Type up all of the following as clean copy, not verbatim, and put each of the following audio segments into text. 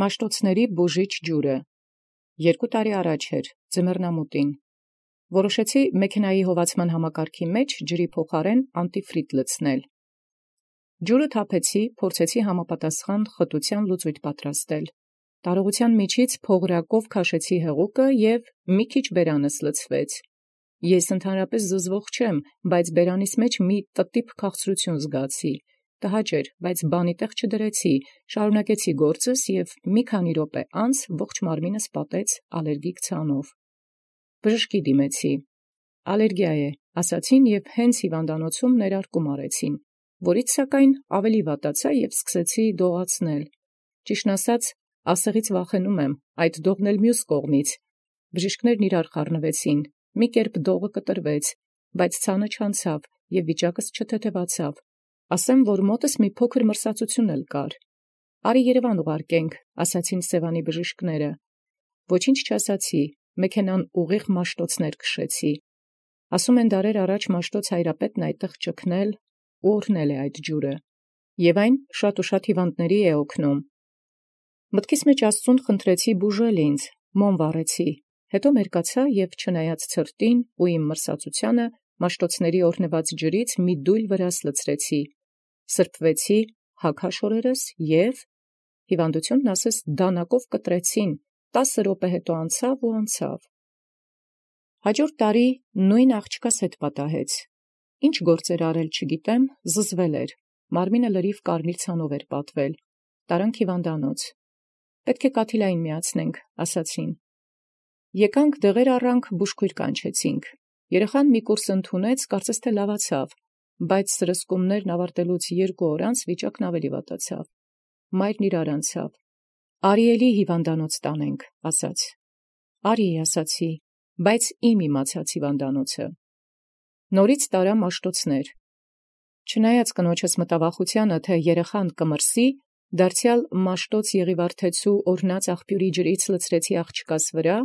Մաշտոցների բուժիչ ջուրը 2 տարի առաջ ձմեռնամուտին որոշեցի մեքենայի հովացման համակարգի մեջ ջրի փոխարեն անտիֆրիտ լցնել։ Ջուրը թափեցի, փորձեցի համապատասխան խտության լուծույթ պատրաստել։ Տարողության միջից փողրակով քաշեցի հեղուկը և մի քիչ բերանս լցվեց։ Ես ընդհանրապես զզվող չեմ, բայց բերանիս մեջ մի տտիպ քաղցրություն զգացի։ Տհաճ էր, բայց բանի տեղ չդրեցի, շարունակեցի գործս և մի քանի րոպե անց ողջ մարմինս պատեց ալերգիկ ցանով։ Բժշկի դիմեցի։ Ալերգիա է, ասացին և հենց հիվանդանոցում ներարկում արեցին, որից սակայն ավելի վատացա և սկսեցի դողացնել։ Ճիշտն ասած, ասեղից վախենում եմ, այդ դողն էլ մյուս կողմից։ Բժիշկներն իրար խառնվեցին, մի կերպ դողը կտրվեց, բայց ցանը չանցավ և վիճակս չթեթևացավ։ Ասեմ, որ մոտս մի փոքր մրսածություն էլ կար։ Արի Երևան ուղարկենք, ասացին Սևանի բժիշկները։ Ոչինչ չասացի, մեքենան ուղիղ Մաշտոցներ քշեցի։ Ասում են դարեր առաջ Մաշտոց հայրապետն այդտեղ ճգնել ու օրհնել է այդ ջուրը։ Եվ այն շատ ու շատ հիվանդների է օգնում։ Մտքիս մեջ Աստծուն խնդրեցի բուժել ինձ, մոմ վառեցի, հետո մերկացա և չնայած ցրտին ու իմ մրսածությանը Մաշտոցների օրհնված ջրից մի դույլ վրաս լցրեցի, սրբվեցի, հագհաշորերս և հիվանդությունն ասես դանակով կտրեցին, 10 րոպե հետո անցավ։ Հաջորդ տարի նույն աղջկաս հետ պատահեց։ Ինչ գործեր արել չգիտեմ, զզվել էր, մարմինը լրիվ կարմիր ցանով էր պատվել, տարանք հիվանդանոց։ Պետք է կաթիլային միացնենք, ասացին։ Եկանք դեղեր առանք, բուժքույր կանչեցինք։ Երեխան մի կուրս ընդունեց, կարծես թե լավացավ, բայց սրսկումներն ավարտելուց 2 օր անց վիճակն ավելի վատացավ։ Մայրն իրար անցավ։ Արի էլի հիվանդանոց տանենք, ասաց։ Արի, ասացի, բայց իմ իմացած հիվանդանոցը։ Նորից տարա Մաշտոցներ։ Չնայած կնոջս մտավախությանը, թե երեխան կմրսի, դարձյալ Մաշտոց Եղիվարդեցու օրհնած աղբյուրի ջրից լցրեցի աղջկաս վրա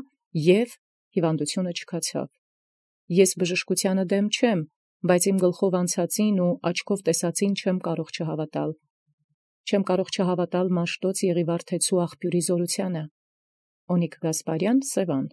և հիվանդությունը չքացավ։ Ես բժշկությանը դեմ չեմ, բայց իմ գլխով անցածին ու աչքով տեսածին չեմ կարող չհավատալ։ Չեմ կարող չհավատալ Մաշտոց Եղիվարդեցու աղբյուրի զորությանը։ Օնիկ Գասպարյան, Սևան։